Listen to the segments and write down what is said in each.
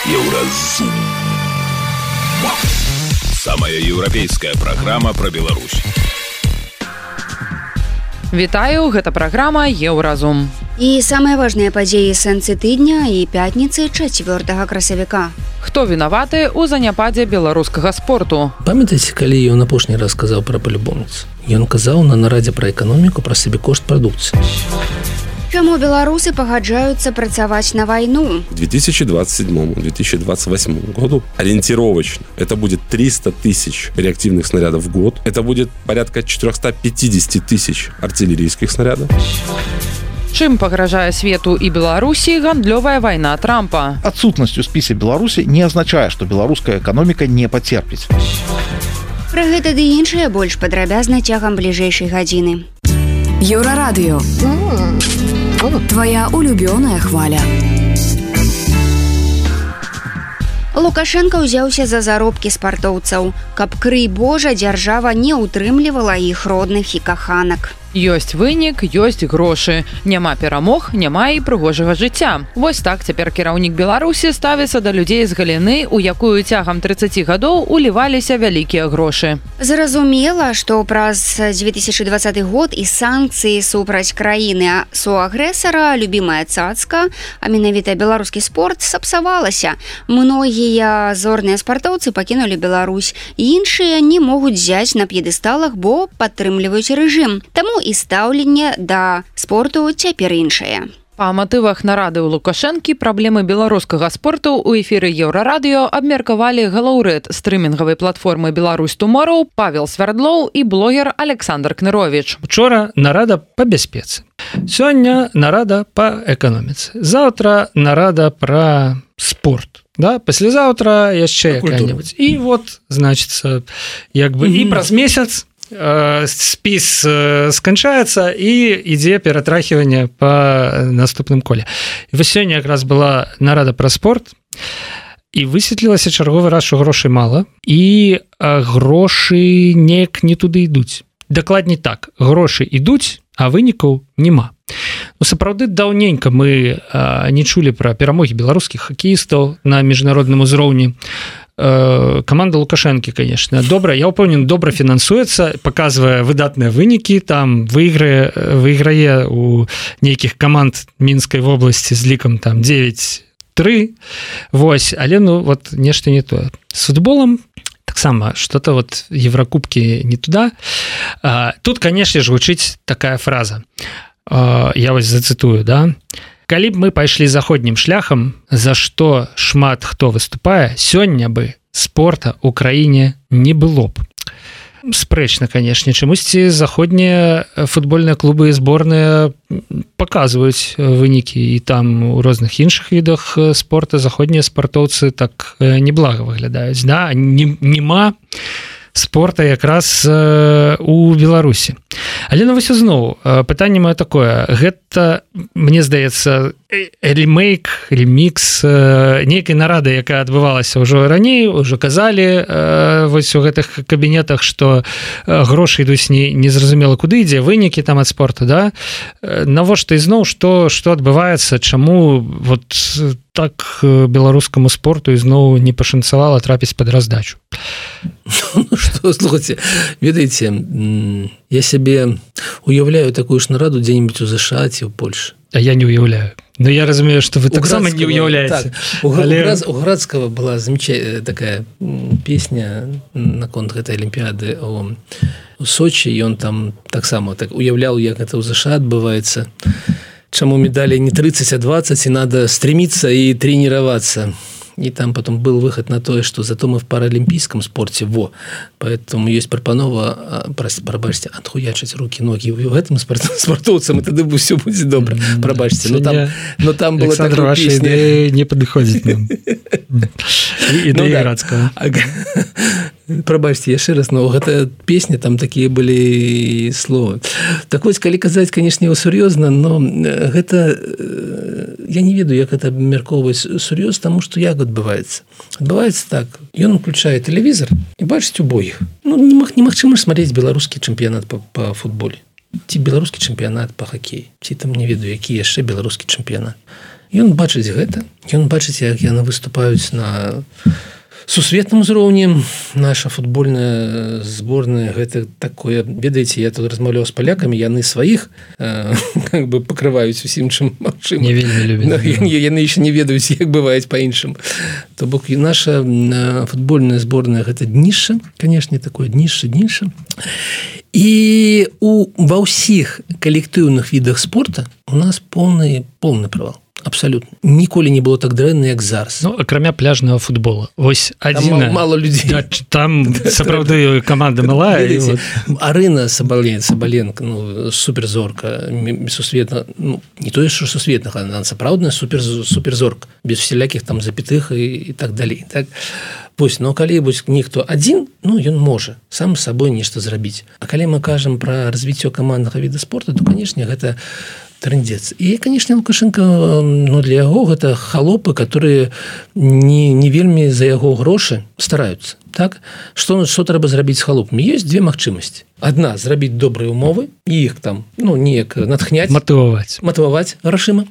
Еўразум. Самая еўрапейская праграма пра Беларусь. Вітаю, гэта праграма Еўразум. І самыя важныя падзеі сэнсы тыдня і пятніцы 4 красавіка. Хто вінаваты ў заняпадзе беларускага спорту? Памятаеце, калі ён апошні раз сказаў пра палюбоўніц? Ён казаў на нарадзе пра эканоміку пра сабекошт прадукцыі. Чаму беларусы пагаджаюцца працаваць на вайну? К 2027-2028 году ориентировочно это будет 300 тысяч реактивных снарядов в год. Это будет порядка 450 тысяч артиллерийских снарядов. Чым пагражае свету і Беларусі гандлёвая вайна Трампа? Отсутность у спісе Беларусі не азначае, што беларуская эканоміка не пацерпіць. Пра гэта ды іншае больш падрабязна цягам бліжэйшай гадзіны. Еўрарадыё. Твоя улюбёная хваля. Лукашенко ўзяўся за заробкі спартоўцаў, каб, крый Божа, дзяржава не ўтрымлівала іх родных і каханак. Ёсць вынік, ёсць грошы. Няма перамог, няма і прыгожага жыцця. Вось так цяпер кіраўнік Беларусі ставіцца да людзей з галіны, у якую цягам 30 гадоў уліваліся вялікія грошы. Зразумела, што праз 2020 год і санкцыі супраць краіны суагрэсара любімая цацка, а менавіта беларускі спорт, сапсавалася. Многія зорныя спартоўцы пакінулі Беларусь, іншыя не могуць зяць на п'едэсталах, бо падтрымліваюць рэжым. Таму і стаўленне да спорту цяпер іншае. Па матывах нарады ў Лукашэнкі праблемы беларускага спорту ў эфіры Еўрарадыё абмеркавалі галаўрэд стрымінгавай платформы «Беларусь Туморроу» Павел Свярдлоў і блогер Александр Кныровіч. Учора нарада па бяспецы. Сёння нарада па эканоміцы. Заўтра нарада пра спорт. Да, паслязаўтра яшчэ якая-небудзь. І вот, значыцца, як бы і праз месяц спіс сканчаецца і ідзе ператрахіванне па наступным коле. І вось сёння якраз была нарада пра спорт, і высветлілася чарговы раз, што грошай мала, і грошы неяк не туды ідуць. Дакладней так, грошы ідуць, а вынікаў няма. Ну, сапраўды, даўненька мы не чулі пра перамогі беларускіх хакеістаў на міжнародным узроўні. Каманда Лукашэнкі, конечно, добра, я ўпэўнены, добра фінансуецца, паказвае выдатныя вынікі, там выйграе у нейкіх каманд Мінскай вобласці з лікам там 9-3, вось, але ну вот нешта не тое. З футболам таксама что-то вот Еврокубкі не туда. Тут, конечно ж, гучыць такая фраза. Я вось зацытую, да? Калі б мы пайшлі заходнім шляхам, за што шмат хто выступае, сёння бы спорта ў краіне не было б. Спрэчна, канешне, чамусьці заходнія футбольныя клубы і зборныя паказваюць вынікі, і там у розных іншых відах спорта заходнія спартоўцы так неблага выглядаюць. Да? Нема спорта якраз у Беларусі. Але ну вось зноў, пытанне маё такое, гэта, мне здаецца, ремікс нейкай нарады, якая адбывалася ўжо раней, ўжо казалі вось у гэтых кабінетах, што грошы ідуць незразумела куды ідзе, вынікі там ад спорту, да? Навошта ізноў, што адбываецца, чаму вот так беларускаму спорту ізноў не пашанцавала трапіць пад раздачу? Ну что, слухайте, ведаеце, я сябе уяўляю такую ж нараду дзе-нибудь у ЗША ці ў Польшы. А я не уяўляю. Но я разумею, что вы таксама не уяўляеце. Так, у Градского была замечательная такая песня наконт гэтай Олимпиады у Сочи, і он там таксама так уяўляў, як гэта ў ЗША адбываецца. Чаму медали не 30, а 20, и надо стремиться и тренироваться. И там потом был выход на то, что зато мы в паралимпийском спорте, поэтому есть пропанова, пробачьте, отхуячить руки, ноги в этом спортовцам, и тогда все будет добро, пробачьте. Но там было такая песня. Не подходит нам. Идея Градского. Пробачьте, яшчэ раз, но гэта песня, там такія былі словы. Так вось, калі казаць, канешне, сур'ёзна, но гэта, я не ведаю, як гэта абмяркоўваць сур'ёз, таму што як адбываецца. Адбываецца так, ён уключае тэлевізор і бачыць убогіх. Ну, немагчыма ж смотреть беларускі чэмпіянат па футболе. Ці беларускі чэмпіянат па хакеі. Ці там, не ведаю, які яшчэ беларускі чэмпіянат. Ён бачыць гэта, ён бачыць, як яны выступаюць на сусветным узроўні. Наша футбольная зборная гэта такое, ведаеце, я тут размаўляў з палякамі, яны сваіх как бы пакрываюць усім чым магчыма. Не вельмі любяць. Яны яшчэ не ведаюць, як бываюць па-іншым. То бок і наша футбольная зборная гэта днішча, канешне, такое днішча. І ва ўсіх калектыўных відах спорта у нас поўны провал. Абсолютно. Ніколі не было так дрэнна, як зараз. Ну, акрамя пляжнага футбола. Вось адзіна... Мало людзей. Да, там сапраўды каманда малая. Вот. Арына Сабаленко, ну, суперзорка, сусветна, ну, не тое, што сусветнага, она сапраўдная суперзорка, без всялякіх там запятых і так далей. Так? Вось, но калі ніхто адзін, ну, ён можа сам з сабой нешта зрабіць. А калі мы кажам пра развіццё каманднага віда спорта, то, канешне, гэта трындец. І, канешне, Лукашенко, ну, для яго гэта халопы, которые не вельмі за яго грошы стараюцца. Так? Што трэба зрабіць з халопамі? Ёсць две магчымасці. Адна, зрабіць добрыя умовы, і іх там, ну, неяк натхняць. Матываваць грашыма.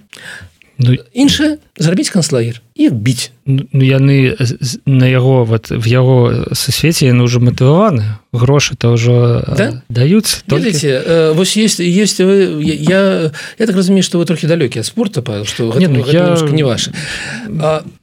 Ну, іншае, зрабіць канцлагер і біць. Ну, яны на яго, вот, в яго сусвеце яны ўжо матываваны. Грошы-то ўжо даюцца. Ведаеце, вось есть я так разумею, што вы трохі далёкі ад спорта, Павел, што гэта немножко не ваше.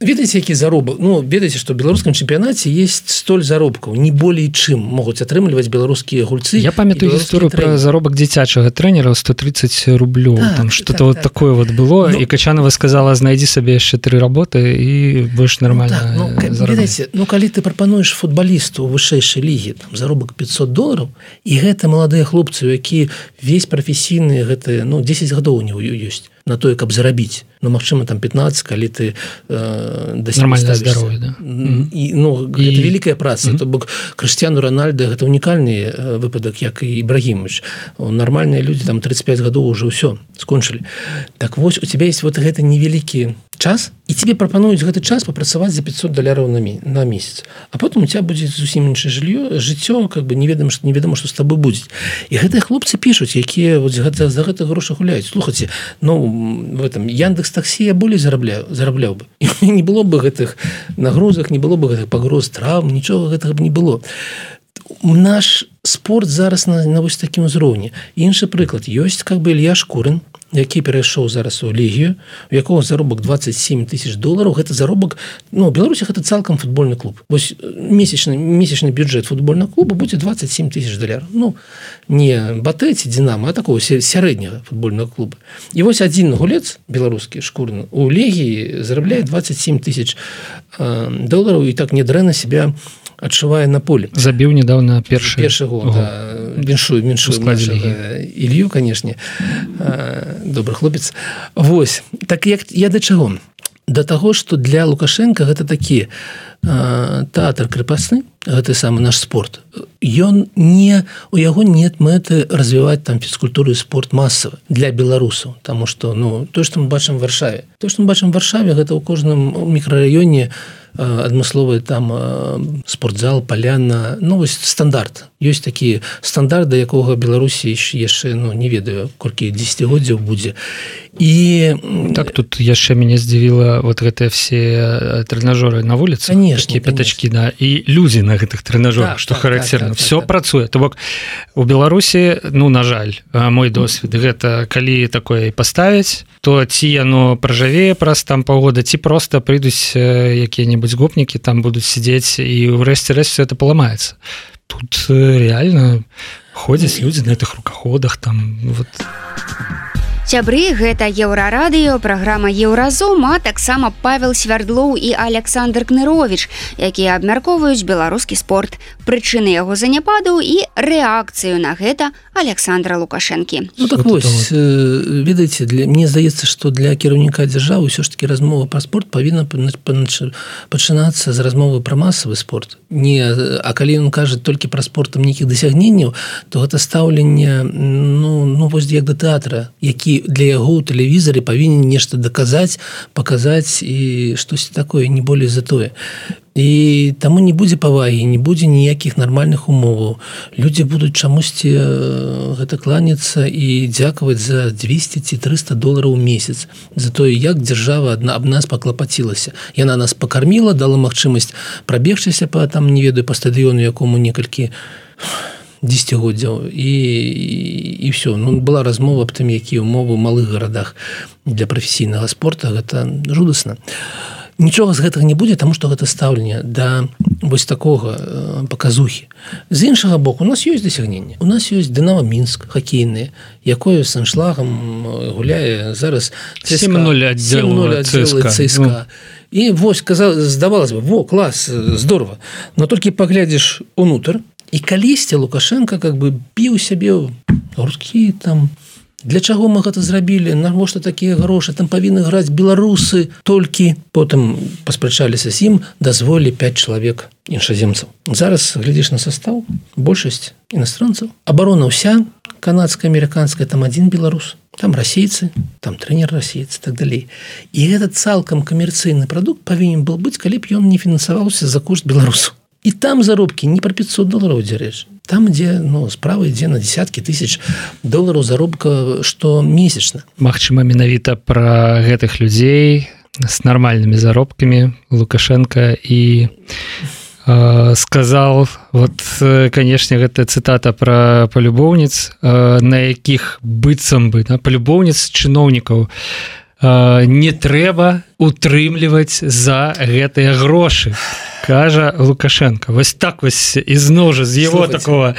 Ведаеце, які заробак? Ну, ведаеце, што ў беларускім чэмпіянаце есть столь заробкаў, не болей чым могуць атрымліваць беларускія гульцы. Я памятаю гісторыю пра заробак дзіцячага трэнера 130 рублёў. Там что-то вот такое вот было, і Качанова сказала, знайдзі сабе яшчэ 3 работы і больш нармальна заробляць. Ну, калі ты прапануеш футбалісту ў вышэйшай лігі, там заробак $500, і гэта маладыя хлопцы, які весь прафесійны, гэта, ну, 10 гадоў у него ёсць на тое, каб зарабіць. Ну, магчыма, там 15, калі ты нормальное здароўе, да. І, ну, гэта вялікая праца. То бок Крыштиану Рональдо гэта унікальны выпадак, як і Ібрагімович. Нармальныя людзі, там 35 гадоў уже ўсё скончылі. Так вось, у тебя есть вот гэты невялікі час, і тебе прапануюць гэты час папрацаваць за $500 на месяц. А потым у тебя будзе зусім іншае жыццё, как бы неведома, што з табой будзе. І гэтыя хлопцы пішуць, якія вот за гэта грошы гуляюць. Слухайце, ну, в этом Яндекс Таксі я болей зарабляў бы. І не было бы гэтых нагрузак, не было бы гэтых пагроз, траўм, нічога гэтага б не было. Наш спорт зараз на вось такім узроўні. Іншы прыклад. Ёсць как бы Ілья Шкурын, які перайшоў зараз у Легію, у якога заробак $27 000. Гэта заробак, ну, у Беларусі гэта цалкам футбольны клуб. Вось месячны бюджэт футбольнага клуба будзе $27 000. Ну, не Батэ ці Динамо, а такого сярэдняга футбольнага клуба. І вось адзін гулец беларускі Шкурын у Легіі зарабляе $27 000 і так нядрэнна себя адчувае на поле. Забіў недавно першы гол. Да. Віншую Илью, канешне. Добры хлопец. Вось. Так як я да чаго? Да таго, што для Лукашенка гэта такі тэатр крепостны, гэта самы наш спорт. У яго нет мэты развіваць там фізкультуру і спорт масавы для беларусаў, таму што, ну, тое, што мы бачым в Варшаве. Тое, што мы бачым в Варшаве, гэта ў кожным мікрараёне адмысловы там спортзал, паляна, ну, вось стандарт. Ёсць такі стандарт, да якога Беларусі яшчэ, ну, не ведаю, колькі дзесяцігоддзяў будзе. І так тут яшчэ мяне здзівіла вот гэтыя все трэнажоры на вуліцы, такія пятачкі, да, і людзі на гэтых трэнажорах, што характэрна, все працуе. То бок у Беларусі, ну, на жаль, мой досвед, гэта калі такое паставіць, то ці яно пражавее праз там паўгода, ці проста прыйдуць якія-небудзь гопнікі, там будуць сидзець, і ўрэшце-рэшт все это паламаецца. Тут реально ходзяць людзі на гэтых рукаходах, там, вот... Сябры, гэта Еўрарадыё, праграма Еўразум, а таксама Павел Свярдлоў і Александр Кнырович, якія абмяркоўваюць беларускі спорт, прычыны яго заняпаду і рэакцыю на гэта Александра Лукашэнкі. Ну так вось, ведаеце, мне здаецца, што для кіраўніка дзяржавы ўсё ж такі размова пра спорт павінна пачынацца з размовы пра масавы спорт. А калі ён кажа толькі пра спорт нейкіх дасягненняў, то гэта стаўленне, ну вось як да тэатра, які і для яго ў тэлевізары павінен нешта даказаць, паказаць і штосьці такое, не болей за тое. І таму не будзе павагі, не будзе ніякіх нармальных умоваў. Людзі будуць чамусьці гэта кланяцца і дзякаваць за 200 ці 300 долараў у месяц за тое, як дзяржава аб нас паклапацілася. Яна нас пакарміла, дала магчымасць прабегчыся па там, не ведаю, па стадыёну, якому некалькі дзесяцігоддзяў і ўсё. Ну, была размова аб тым, якія ўмовы ў малых гарадах для прафесійнага спорта, гэта жудасна. Нічога з гэтага не будзе, таму што гэта стаўленне да вось такога паказухі. З іншага боку, у нас ёсць дасягненне. У нас ёсць Дынамо Мінск, хакейнае, якое з аншлагам гуляе зараз 7-0 аддзел ЦСКА. І вось, здавалася бы, клас, здорова. Но толькі паглядзіш унутр, і калісьці Лукашенко как бы біў сябе грудкі там. Для чаго мы гэта зрабілі? Навошта такія грошы? Там павінны граць беларусы толькі. Потым паспрачаліся з ім, дазволілі 5 чалавек іншаземцаў. Зараз глядзіш на састаў, большасць іностранцаў. Абарона ўся, канадская, амерыканская, там один беларус. Там расейцы, там трэнер расейцы, так далей. І гэта цалкам камерцыйны прадукт павінен был быць, калі б ён не фінансаваўся за кошт беларусаў. І там заробкі не пра 500 долараў ідзе рэч. Там, дзе справа ідзе на десяткі тысяч долараў заробка штомесячна. Магчыма, менавіта пра гэтых людзей з нармальнымі заробкамі Лукашенко і сказал, вот, канешне, гэта цытата пра палюбоўніц, на якіх быццам бы, палюбоўніц чыноўнікаў не трэба утрымліваць за гэтыя грошы, кажа Лукашенко. Вось так вось ізноў жа з яго такого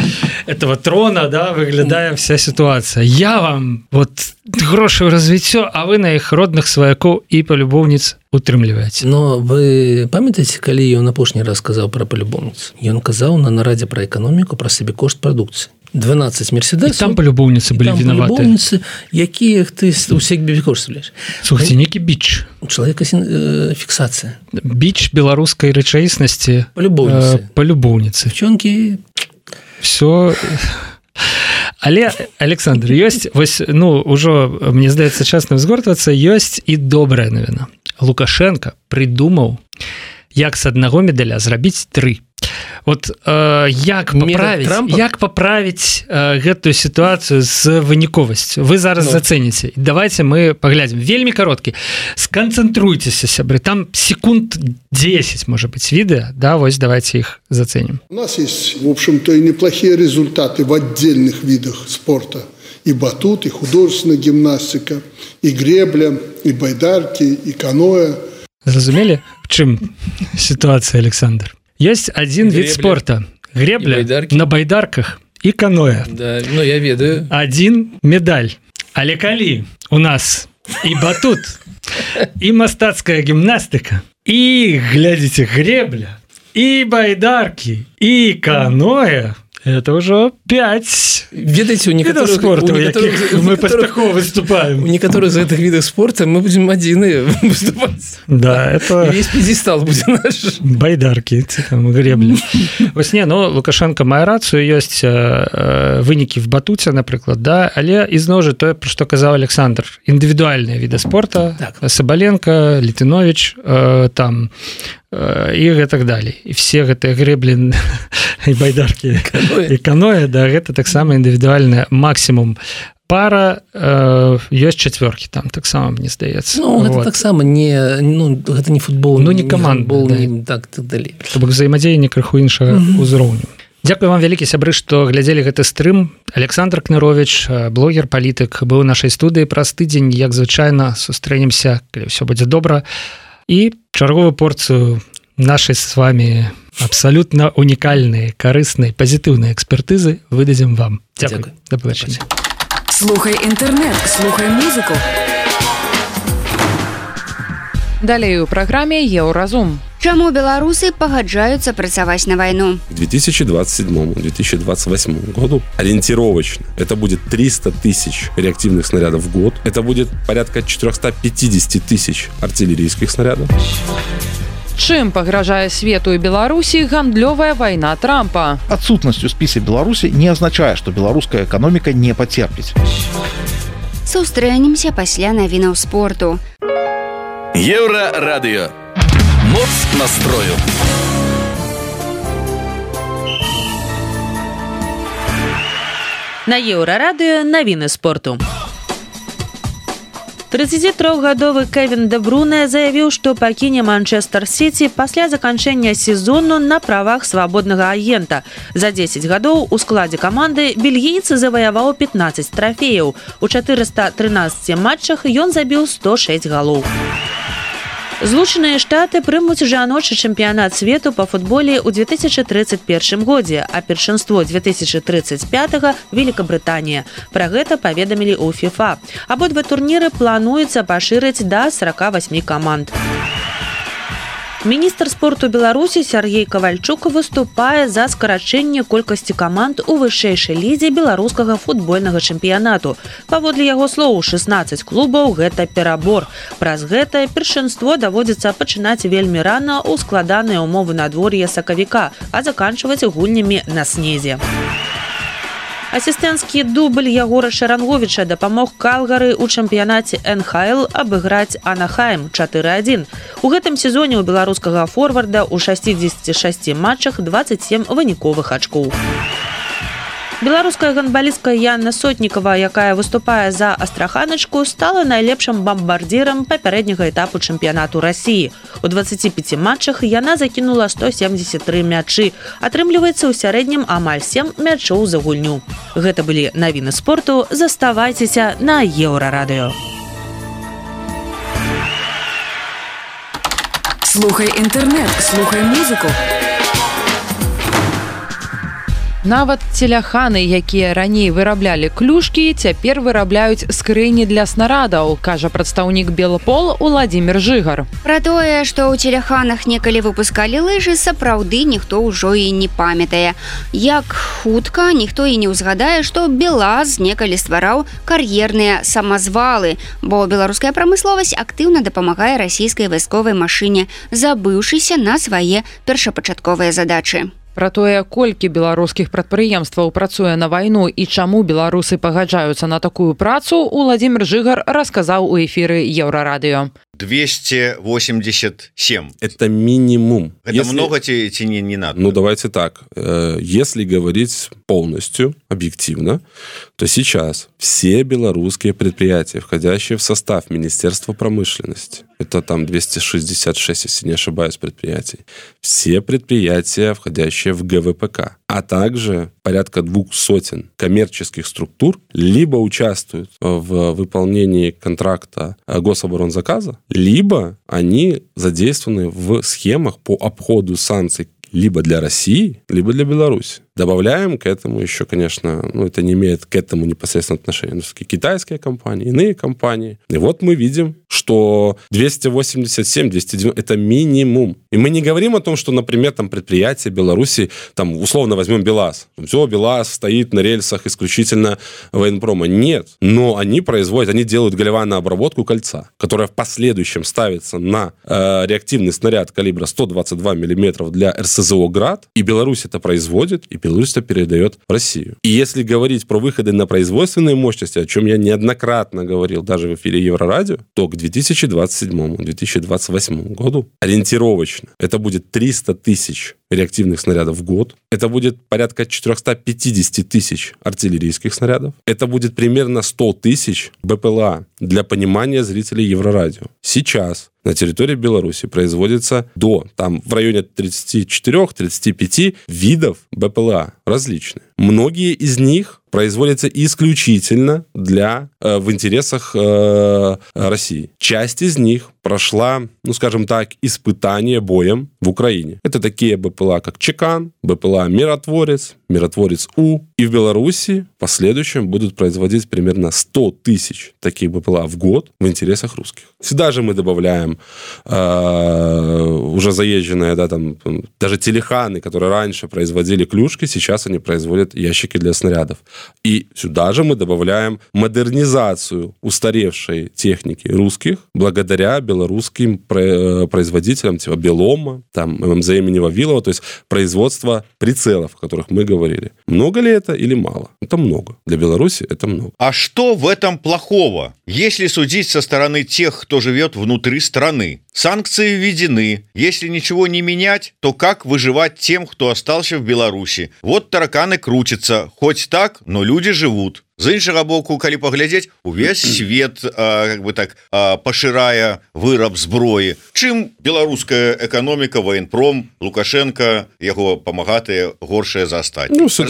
этого трона, выглядае вся сітуацыя. Я вам вот грошы ў развіццё, а вы на іх родных сваякоў і палюбоўніц утрымліваеце. Но вы памятаеце, калі ён апошні раз сказаў пра палюбоўніц? Ён казаў на нарадзе пра эканоміку, пра сабекошт прадукцыі. 12 мерседесов. І там палюбоўніцы былі вінаваты. Палюбоўніцы, якія ты ўсе бекоштавляеш. Слухайте, некі біч. Чалавека фіксацыя. Біч беларускай рэчаіснасці. Палюбоўніцы. Девчонкі. Все. Але, Александр, ёсць, вось, ужо, мне здаецца, час нам згортвацца, ёсць і добрая навіна. Лукашенко придумаў, як з аднаго медаля зрабіць 3. Вот як паправіць гэтую сітуацыю з выніковасцю? Вы зараз зацэніце. Давайте мы паглядзім. Вельмі кароткі. Сканцэнтруйцеся, сябры. Там секунд 10, может быть, відэа. Да, вось давайте их заценим. У нас есть, в общем-то, и неплохие результаты в отдельных видах спорта. И батут, и художественная гимнастика, и гребля, и байдарки, и каноэ. Зразумелі, в чым ситуация, Александр? Есть один вид спорта. Гребля на байдарках и каноэ. Да, я ведаю. Один медаль. Але калі у нас и батут, и мастацкая гимнастика, и, глядите, гребля, и байдарки, и каноэ, это уже 5 ведаеце, у некаторых спорту, у якіх мы пастахова выступаем. У некаторых з гэтых відаў спорта мы будзем адзіныя выступаць. Да, это... Весь п'едестал будзе наш. Байдаркі, там, гребля. Вось не, Лукашенко мае рацыю, ёсць вынікі в батуце, напрыклад, да, але ізноў жа тое, пра што казаў Александр, індывідуальныя віды спорта, так. Сабаленко, Літыновіч, там, і гэтак далей. І все гэтыя грэблі і байдаркі і каноэ, да, гэта таксама індывідуальная максімум. Пара, ёсць чацвёркі там таксама, мне здаецца. Гэта таксама не, гэта не футбол, не камандны, да. Так далей. То бок взаемадзеянне крыху іншага ўзроўню. Дзякую вам вялікі, сябры, што глядзелі гэты стрым. Александр Кнырович, блогер-палітык, быў у нашай студыі праз тыдзень, як звычайна, сустрэнемся, калі ўсё будзе добра. І чарговую порцыю нашай з вами абсалютна унікальнай, карыснай, пазітыўнай экспертызы выдадзім вам. Дзякуй. Да пабачэння. Слухай інтэрнэт, слухай музыку. Далей у праграме Еўразум. Чаму беларусы пагаджаюцца працаваць на вайну? К 2027-2028 году ориентировочно это будет 300 тысяч реактивных снарядов в год. Это будет порядка 450 тысяч артиллерийских снарядов. Чым пагражае свету і Беларусі гандлёвая вайна Трампа? Отсутностью спіса Беларуси не означает, что белорусская экономика не потерпит. Сустрэнемся пасля навінаў спорту. Еўрарадыё. Моц настрою. На Еўрарадыё навіны спорту. 33-гадовы Кевін Де Бруйне заявіў, што пакіне Манчестер Сіці пасля заканчэння сезону на правах свабоднага агента. За 10 гадоў у складзе каманды бельгійцы заваяваў 15 трафеяў. У 413 матчах ён забіў 106 галоў. Злучаныя Штаты прымуць жаночы чэмпіянат свету па футболе ў 2031 годзе, а першынство 2035 Великабрытанія. Пра гэта паведамілі ў ФІФА. Абодва турніры плануецца пашырыць да 48 каманд. Міністр спорту Беларусі Сергей Кавальчук выступае за скарачэнне колькасці каманд у вышэйшай лізе беларускага футбольнага чэмпіянату. Паводле яго слоў, 16 клубаў – гэта перабор. Праз гэта першынство даводзіцца пачынаць вельмі рана ў складаныя ўмовы надвор'я сакавіка, а заканчваць гульнямі на снезе. Асістэнцкі дубль Ягора Шаранговіча дапамог Калгары ў чэмпіянаце НХЛ абыграць Анахайм 4-1. У гэтым сезоне ў беларускага форварда ў 66 матчах 27 выніковых ачкоў. Беларуская гандбалістка Яна Сотнікава, якая выступае за Астраханачку, стала найлепшым бамбардзірам папярэдняга этапу чэмпіянату Расіі. У 25 матчах яна закінула 173 мячы. Атрымліваецца ў сярэднім амаль 7 мячоў за гульню. Гэта былі навіны спорту. Заставайцеся на Еўрарадыё. Слухай інтэрнэт, слухай музыку. Нават целяханы, якія раней выраблялі клюшкі, цяпер вырабляюць скрыні для снарадаў, кажа прадстаўнік Белпол Уладзімір Жыгар. Пра тое, што ў целяханах некалі выпускалі лыжы, сапраўды ніхто ўжо і не памятае. Як хутка ніхто і не ўзгадае, што БелАЗ некалі ствараў кар'ерныя самазвалы, бо беларуская прамысловасць актыўна дапамагае расійскай вайсковай машыне, забыўшыся на свае першапачатковыя задачы. Пра тое, колькі беларускіх прадпрыемстваў працуе на вайну і чаму беларусы пагаджаюцца на такую працу, Уладзімір Жыгар расказаў у эфіры Еўрарадыё. 287. Это минимум. Это много тебе не надо? Ну, давайте так. Если говорить полностью, объективно, то сейчас все белорусские предприятия, входящие в состав Министерства промышленности, это там 266, если не ошибаюсь, предприятий, все предприятия, входящие в ГВПК, а также порядка 200 коммерческих структур либо участвуют в выполнении контракта гособоронзаказа, либо они задействованы в схемах по обходу санкций либо для России, либо для Беларуси. Добавляем к этому еще, конечно, это не имеет к этому непосредственно отношения, китайские компании, иные компании. И вот мы видим, что 287, 290 – это минимум. И мы не говорим о том, что, например, там предприятия Беларуси, там, условно возьмем БелАЗ. Все, БелАЗ стоит на рельсах исключительно военпрома. Нет. Но они производят, они делают голеванную обработку кольца, которая в последующем ставится на реактивный снаряд калибра 122 мм для РСЗО «Град». И Беларусь это производит, и Беларусь это передает в Россию. И если говорить про выходы на производственные мощности, о чем я неоднократно говорил даже в эфире Еврорадио, то к 2027-2028 году ориентировочно это будет 300 тысяч реактивных снарядов в год. Это будет порядка 450 тысяч артиллерийских снарядов. Это будет примерно 100 тысяч БПЛА. Для понимания зрителей Еврорадио. Сейчас на территории Беларуси производится там в районе 34-35 видов БПЛА различные. Многие из них производятся исключительно в интересах России. Часть из них прошла, скажем так, испытание боем в Украине. Это такие БПЛА, как Чекан, БПЛА Миротворец, Миротворец-У. И в Беларуси в последующем будут производить примерно 100 тысяч таких БПЛА в год в интересах русских. Сюда же мы добавляем уже заезженные, да, там, даже телеханы, которые раньше производили клюшки, сейчас они производят ящики для снарядов. И сюда же мы добавляем модернизацию устаревшей техники русских благодаря белорусским производителям, типа Белома, там, ММЗ имени Вавилова, то есть производство прицелов, о которых мы говорили. Много ли это или мало? Это много. Для Беларуси это много. А что в этом плохого? Если судить со стороны тех, кто живет внутри страны, санкции введены. Если ничего не менять, то как выживать тем, кто остался в Беларуси? Вот тараканы крутятся. Хоть так, но люди живут. З іншага боку, калі паглядзець, увесь свет как бы так пашырае выраб зброі. Чым беларуская эканоміка, военпром, Лукашенко, яго памагатыя горшыя за астатніх? Ну, все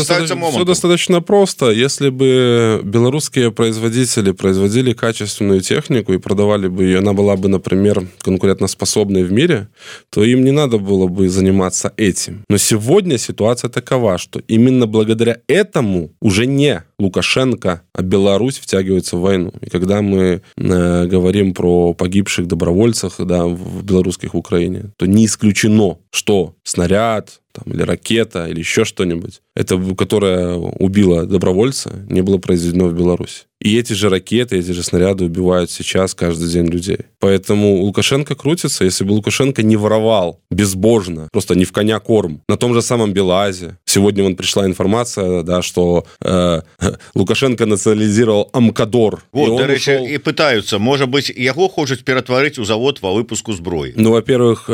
достаточно просто. Если бы белорусские производители производили качественную технику и продавали бы ее, она была бы, например, конкурентоспособной в мире, то им не надо было бы заниматься этим. Но сегодня ситуация такова, что именно благодаря этому уже не Лукашенко, а Беларусь втягивается в войну. И когда мы говорим про погибших добровольцах, да, в белорусских в Украине, то не исключено, что снаряд там, или ракета, или еще что-нибудь, это, которое убило добровольца, не было произведено в Беларуси. И эти же ракеты, эти же снаряды убивают сейчас каждый день людей. Поэтому Лукашенко крутится. Если бы Лукашенко не воровал безбожно, просто не в коня корм, на том же самом Белазе. Сегодня вон пришла информация, да, что Лукашенко национализировал Амкадор. Вот, до речі, ушел... и пытаются, может быть, его хочет перетворить у завод по выпуску сброи. Ну, во-первых,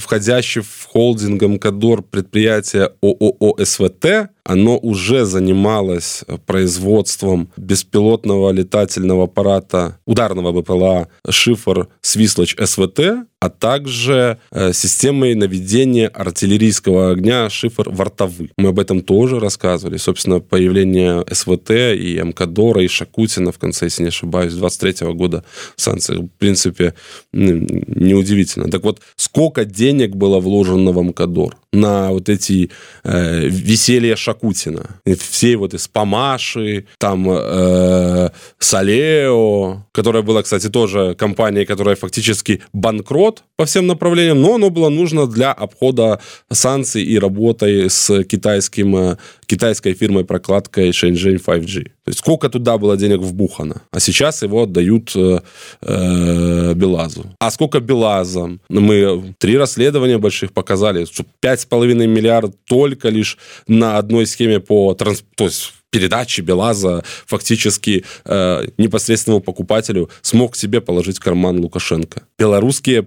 входящий в холдинг Амкадор предприятие ООО СВТ, оно уже занималось производством беспилотного летательного аппарата, ударного БПЛА «Шифр Свислочь СВТ», а также системой наведения артиллерийского огня «Шифр Вартовы». Мы об этом тоже рассказывали. Собственно, появление СВТ и Амкадора, и Шакутина в конце, если не ошибаюсь, 23 года санкций, в принципе, неудивительно. Так вот, сколько денег было вложено в Амкадор на вот эти веселья Шакутина? Все вот из Памаши, там Салео, которая была, кстати, тоже компанией, которая фактически банкрот по всем направлениям, но оно было нужно для обхода санкций и работы с китайской фирмой-прокладкой Shenzhen 5G. То есть сколько туда было денег вбухано, а сейчас его отдают Белазу. А сколько Белаза? Мы 3 расследования больших показали, что 5,5 миллиарда только лишь на одной схеме по то есть передачи Белаза фактически непосредственному покупателю смог себе положить в карман Лукашенко. Белорусская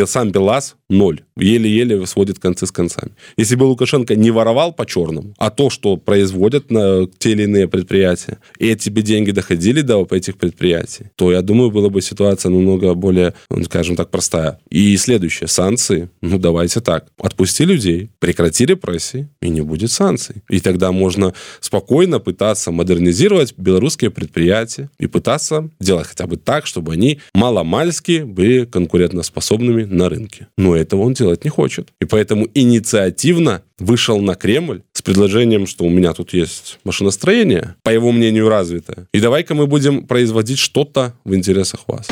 сам Белаз 0. Еле-еле сводит концы с концами. Если бы Лукашенко не воровал по-черному, а то, что производят на те или иные предприятия, и эти бы деньги доходили до этих предприятий, то, я думаю, была бы ситуация намного более, скажем так, простая. И следующее. Санкции. Ну, давайте так. Отпусти людей, прекрати репрессии, и не будет санкций. И тогда можно спокойно пытаться модернизировать белорусские предприятия и пытаться делать хотя бы так, чтобы они маломальски были конкурентоспособными на рынке. Но этого он делать не хочет. И поэтому инициативно вышел на Кремль с предложением, что у меня тут есть машиностроение, по его мнению, развитое. И давай-ка мы будем производить что-то в интересах вас.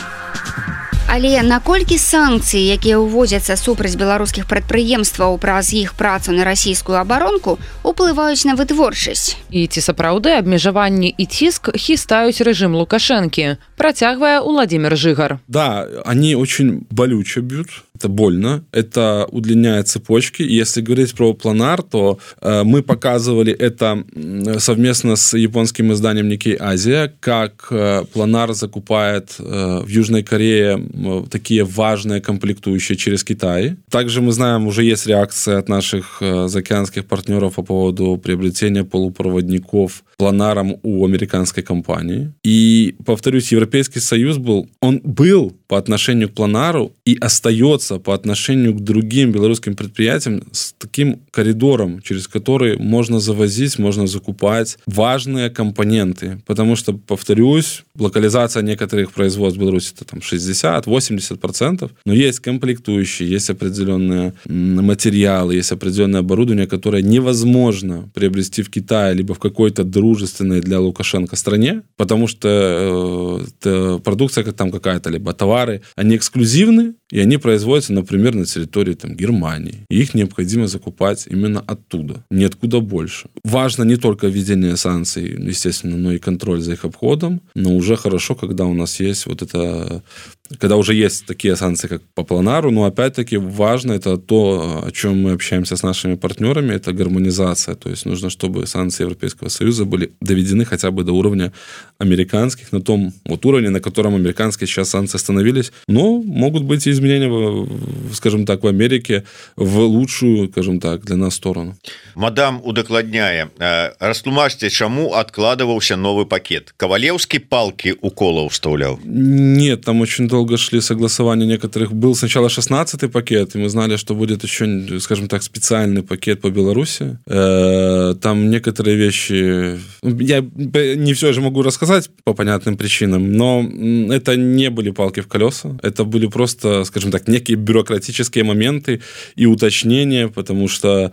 Але наколькі санкцыі, якія ўводзяцца супраць беларускіх прадпрыемстваў праз іх працу на расійскую абаронку, уплываюць на вытворчасць? І ці сапраўды абмежаванні і ціск хістаюць рэжым Лукашэнкі, працягвае Владимир Жигар. Да, они очень болюче бьют. Это больно, это удлиняет цепочки. Если говорить про Планар, то мы показывали это совместно с японским изданием Nikkei Asia, как Планар закупает в Южной Корее такие важные комплектующие через Китай. Также мы знаем, уже есть реакция от наших заокеанских партнеров по поводу приобретения полупроводников Планаром у американской компании. И, повторюсь, Европейский Союз был по отношению к Планару и остается по отношению к другим белорусским предприятиям с таким коридором, через который можно завозить, можно закупать важные компоненты. Потому что, повторюсь, локализация некоторых производств в Беларуси это там 60-80%, но есть комплектующие, есть определенные материалы, есть определенное оборудование, которое невозможно приобрести в Китае либо в какой-то дружественной для Лукашенко стране, потому что продукция там какая-то, либо товары, они эксклюзивны, и они производятся, например, на территории там, Германии. И их необходимо закупать именно оттуда, ниоткуда больше. Важно не только введение санкций, естественно, но и контроль за их обходом, но уже хорошо, когда у нас есть вот это... Когда уже есть такие санкции, как по планару, но опять-таки важно это то, о чем мы общаемся с нашими партнерами, это гармонизация. То есть нужно, чтобы санкции Европейского Союза были доведены хотя бы до уровня американских, на том вот уровне, на котором американские сейчас санкции остановились. Но могут быть и изменения, скажем так, в Америке в лучшую, скажем так, для нас сторону. Мадам удакладняе, растлумачьте, чему откладывался новый пакет? Ковалевский палки укола вставлял? Нет, там очень долго шли согласования некоторых. Был сначала 16-й пакет, и мы знали, что будет еще, скажем так, специальный пакет по Беларуси. Там некоторые вещи... Я не все же могу рассказать по понятным причинам, но это не были палки в колеса. Это были просто, скажем так, некие бюрократические моменты и уточнения, потому что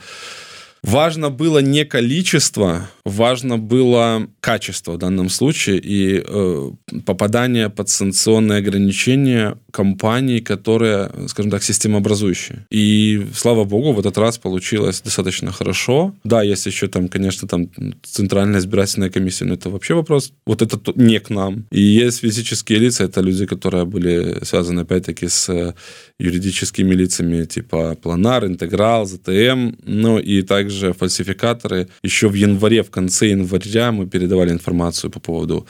важно было не количество, важно было качество в данном случае и попадание под санкционные ограничения компаний, которые, скажем так, системообразующие. И, слава богу, в этот раз получилось достаточно хорошо. Да, есть еще там, конечно, там Центральная избирательная комиссия, но это вообще вопрос, вот это не к нам. И есть физические лица, это люди, которые были связаны, опять-таки, с юридическими лицами, типа Планар, Интеграл, ЗТМ, ну и также фальсификаторы. Еще в январе, в конце января мы передавали информацию по поводу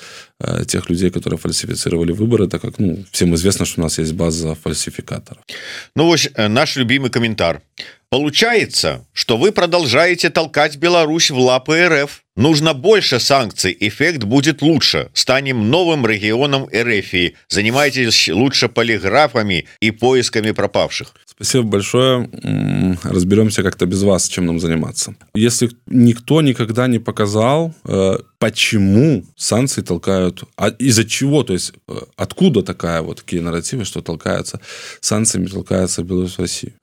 тех людей, которые фальсифицировали выборы, так как, ну, всем известно, что у нас есть база фальсификаторов. Ну вот наш любимый комментарий. Получается, что вы продолжаете толкать Беларусь в лапы РФ. Нужно больше санкций, эффект будет лучше. Станем новым регионом РФ. Занимайтесь лучше полиграфами и поисками пропавших. Спасибо большое. Разберемся как-то без вас, чем нам заниматься. Если никто никогда не показал, почему санкции толкают, из-за чего, то есть откуда такие нарративы, что толкаются, санкциями толкается Беларусь в Россию.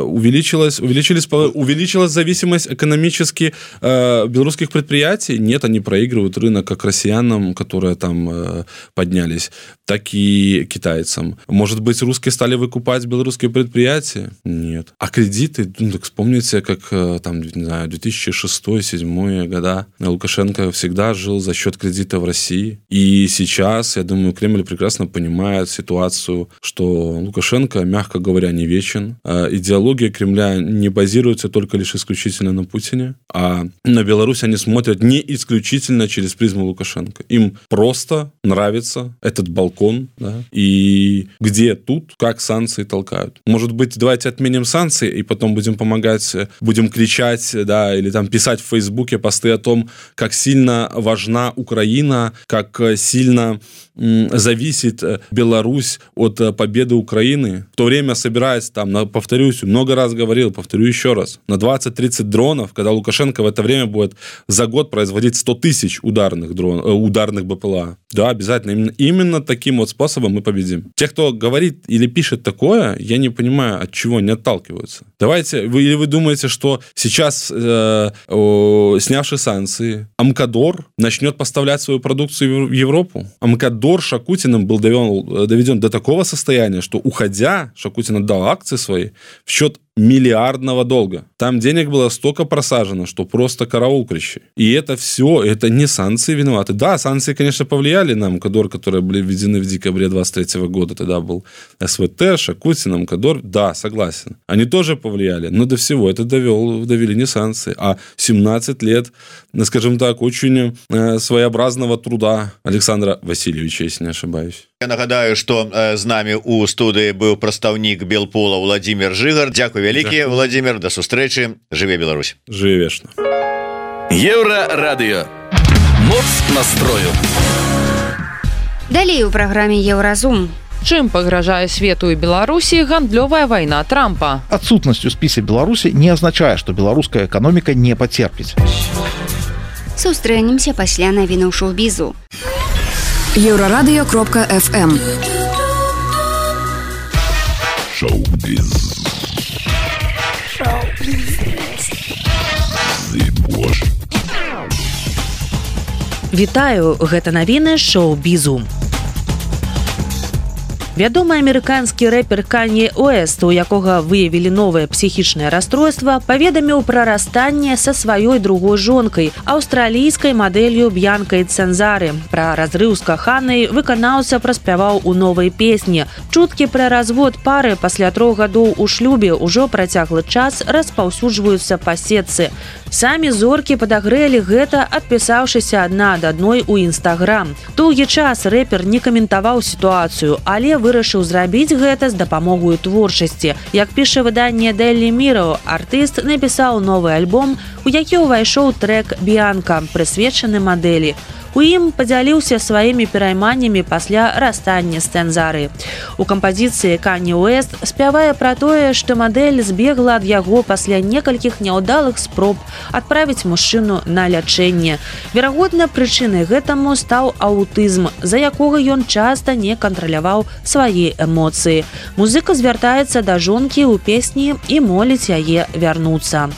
Увеличилась зависимость экономически белорусских предприятий? Нет, они проигрывают рынок как россиянам, которые там поднялись, так и китайцам. Может быть, русские стали выкупать белорусские предприятия? Нет. А кредиты, ну, так вспомните, как там, не знаю, 2006-2007 года Лукашенко всегда жил за счет кредита в России. И сейчас, я думаю, Кремль прекрасно понимает ситуацию, что Лукашенко, мягко говоря, не вечен. Идеология Кремля не базируется только лишь исключительно на Путине, а на Беларусь они смотрят не исключительно через призму Лукашенко. Им просто нравится этот балкон, да, и где тут, как санкции толкают. Может быть, давайте отменим санкции и потом будем помогать, будем кричать, да, или там писать в Фейсбуке посты о том, как сильно важна Украина, как сильно зависит Беларусь от победы Украины. В то время собираясь там, повторюсь, много раз говорил, повторю еще раз, на 20-30 дронов, когда Лукашенко в это время будет за год производить 100 тысяч ударных БПЛА. Да, обязательно. Именно таким вот способом мы победим. Те, кто говорит или пишет такое, я не понимаю, от чего они отталкиваются. Давайте, или вы думаете, что сейчас, снявши санкции, Амкадор начнет поставлять свою продукцию в Европу? Амкадор Шакутиным был доведен до такого состояния, что, уходя, Шакутин отдал акции свои в счет миллиардного долга. Там денег было столько просажено, что просто караул кричи. И это все, это не санкции виноваты. Да, санкции, конечно, повлияли на Амкадор, которые были введены в декабре 23 года. Тогда был СВТ, Шакутин, Амкадор. Да, согласен. Они тоже повлияли. Но до всего это довели не санкции, а 17 лет, скажем так, очень своеобразного труда Александра Васильевича, если не ошибаюсь. Я нагадаю, что з нами у студии был представник Белпола Владимир Жигар. Дякую вялікі, Владимир, до сустрэчы. Жыве Беларусь. Жыве вечна. Еўрарадыё. Моц настрою. Далей у праграме Еўразум. Чым пагражае свету і Беларусі гандлёвая вайна Трампа? Отсутность у списа Беларуси не означает, что белорусская экономика не потерпит. Сустрэнемся пасля навінаў шоу-бізу. Еўрарадыё.фм Шоу-біз. Вітаю, гэта навіны шоу-бізу. Вядомы амерыканскі рэпер Канье Уэст, у якога выявілі новае псіхічнае расстройства, паведаміў пра расстанне са сваёй другой жонкай, аўстралійскай мадэлью Б'янкай Цэнзары. Пра разрыў з каханай выканаўца праспяваў у новай песні. Чуткі пра развод пары пасля 3 гадоў у шлюбе ўжо працяглы час распаўсюджваюцца па сетцы. Самі зоркі падагрэлі гэта, адпісаўшыся адна ад адной у Інстаграм. Доўгі час рэпер не каментаваў сітуацыю, але вырашыў зрабіць гэта з дапамогою творчасці. Як піша выданне Daily Mirror, артыст напісаў новы альбом, у які ўвайшоў трэк «Б'янка», прысвечаны мадэлі. У ім падзяліўся сваімі перайманнямі пасля расстання з Цэнзары. У кампазіцыі Канье Уэст спявае пра тое, што мадэль збегла ад яго пасля некалькіх няўдалых спроб адправіць мужчыну на лячэнне. Верагодна, прычынай гэтаму стаў аўтызм, за якога ён часта не кантраляваў свае эмоцыі. Музыка звяртаецца да жонкі ў песні і моліць яе вярнуцца.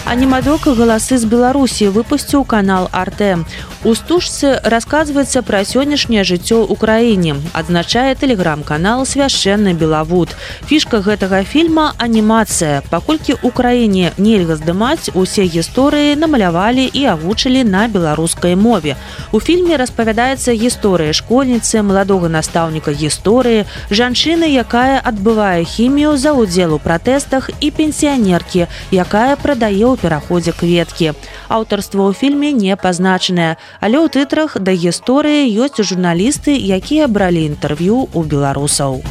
Анімадок «Галасы з Беларусі» выпусціў канал «Арте». У стужцы расказваецца пра сённяшняе жыццё ў краіне, адзначае тэлеграм-канал «Свяшчэнны Белавуд». Фішка гэтага фільма – анімацыя. Паколькі ў краіне нельга здымаць, усе гісторыі намалявалі і агучылі на беларускай мове. У фільме распавядаецца гісторыя школьніцы, маладога настаўніка гісторыі, жанчыны, якая адбывае хімію за ўдзел у пратэстах, і пенсіянеркі, якая прадае ў пераходзе кветкі. Аўтарства ў фільме не пазначанае, але ў тытрах да гісторыі ёсць журналісты, якія бралі інтэрв'ю ў беларусаў.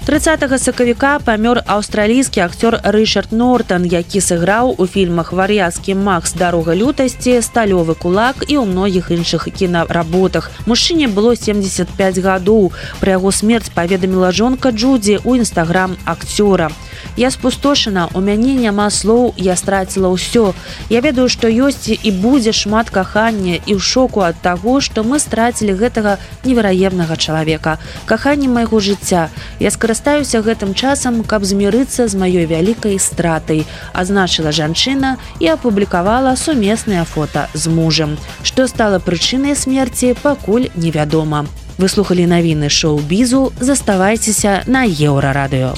30 сакавіка памёр аўстралійскі акцёр Рычард Нортан, які сыграў у фільмах «Вар'яцкі Макс. Дарога лютасці», «Сталёвы кулак» і ў многіх іншых кінаработах. Мужчыне было 75 гадоў. Пра яго смерць паведаміла жонка Джудзі ў інстаграм акцёра. «Я спустошана, у мяне няма слоў, я страціла ўсё. Я ведаю, што ёсць і будзе шмат кахання і ў шоку ад таго, што мы страцілі гэтага невераемнага чалавека. Каханне майго жыцця. Я скарыстаюся гэтым часам, каб змірыцца з маёй вялікай стратай», азначыла жанчына і апублікавала сумеснае фота з мужам. Што стала прычынай смерці, пакуль невядома. Вы слухалі навіны шоу-бізу, заставайцеся на Еўрарадыё.